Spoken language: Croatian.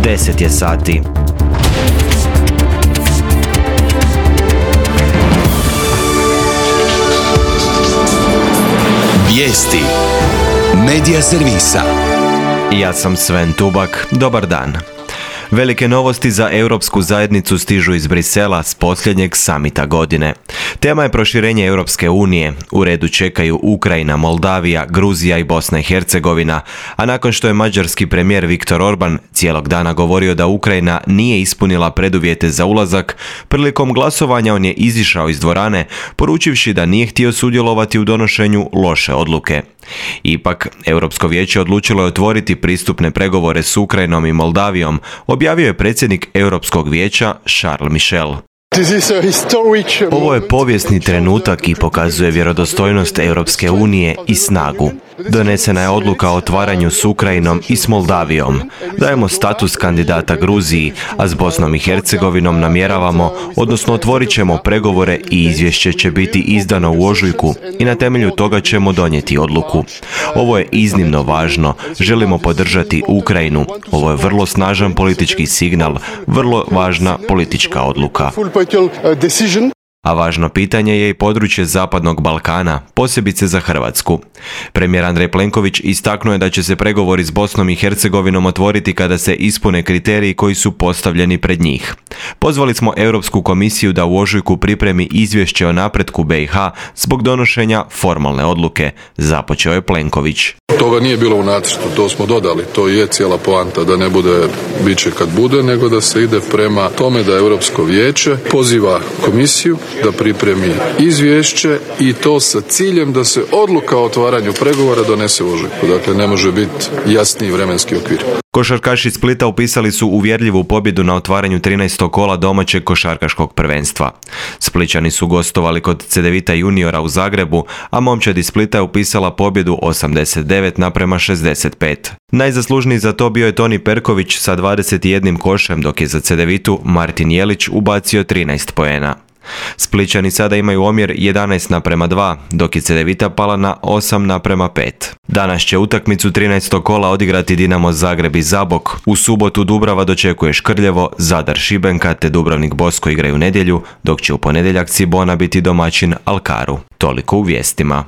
10 je sati. Vijesti Medija servisa. Ja sam Sven Tubak, dobar dan. Velike novosti za Europsku zajednicu stižu iz Brisela s posljednjeg samita godine. Tema je proširenje Europske unije. U redu čekaju Ukrajina, Moldavija, Gruzija i Bosna i Hercegovina, a nakon što je mađarski premijer Viktor Orban cijelog dana govorio da Ukrajina nije ispunila preduvjete za ulazak, prilikom glasovanja on je izišao iz dvorane, poručivši da nije htio sudjelovati u donošenju loše odluke. Ipak, Europsko vijeće odlučilo je otvoriti pristupne pregovore s Ukrajinom i Moldavijom, objavio je predsjednik Europskog vijeća Charles Michel. Ovo je povijesni trenutak i pokazuje vjerodostojnost Europske unije i snagu. Donesena je odluka o otvaranju s Ukrajinom i s Moldavijom. Dajemo status kandidata Gruziji, a s Bosnom i Hercegovinom namjeravamo, odnosno otvorit ćemo pregovore i izvješće će biti izdano u ožujku i na temelju toga ćemo donijeti odluku. Ovo je iznimno važno. Želimo podržati Ukrajinu. Ovo je vrlo snažan politički signal, vrlo važna politička odluka. A važno pitanje je i područje Zapadnog Balkana, posebice za Hrvatsku. Premijer Andrej Plenković istaknuo je da će se pregovori s Bosnom i Hercegovinom otvoriti kada se ispune kriteriji koji su postavljeni pred njih. Pozvali smo Europsku komisiju da u ožujku pripremi izvješće o napretku BiH zbog donošenja formalne odluke, započeo je Plenković. Toga nije bilo u nacrtu, to smo dodali, to je cijela poanta, da ne bude bit će kad bude, nego da se ide prema tome da Europsko vijeće poziva komisiju da pripremi izvješće i to sa ciljem da se odluka o otvaranju pregovora donese u ožujku. Dakle, ne može biti jasniji vremenski okvir. Košarkaši Splita upisali su uvjerljivu pobjedu na otvaranju 13. kola domaćeg košarkaškog prvenstva. Splićani su gostovali kod Cedevita juniora u Zagrebu, a momčad iz Splita je upisala pobjedu 89-65. Najzaslužniji za to bio je Toni Perković sa 21 košem, dok je za Cedevitu Martin Jelić ubacio 13 poena. Splićani sada imaju omjer 11:2, dok je Cedevita pala na 8:5. Danas će utakmicu 13. kola odigrati Dinamo Zagreb i Zabok. U subotu Dubrava dočekuje Škrljevo, Zadar Šibenka te Dubrovnik Bosko igraju nedjelju, dok će u ponedjeljak Cibona biti domaćin Alkaru. Toliko u vijestima.